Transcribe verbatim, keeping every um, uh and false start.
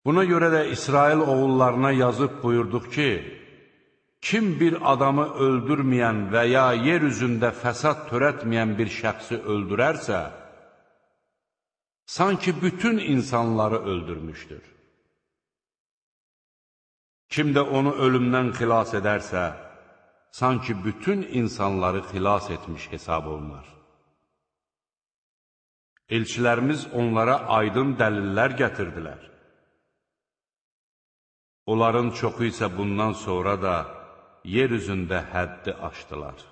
Buna görə də İsrail oğullarına yazıb buyurduq ki, kim bir adamı öldürməyən və ya yer üzündə fəsad törətməyən bir şəxsi öldürərsə, sanki bütün insanları öldürmüşdür. Kim də onu ölümdən xilas edərsə, sanki bütün insanları xilas etmiş hesab olunar. Elçilərimiz onlara aydın dəlillər gətirdilər. Onların çoxu isə bundan sonra da yer üzündə həddi aşdılar.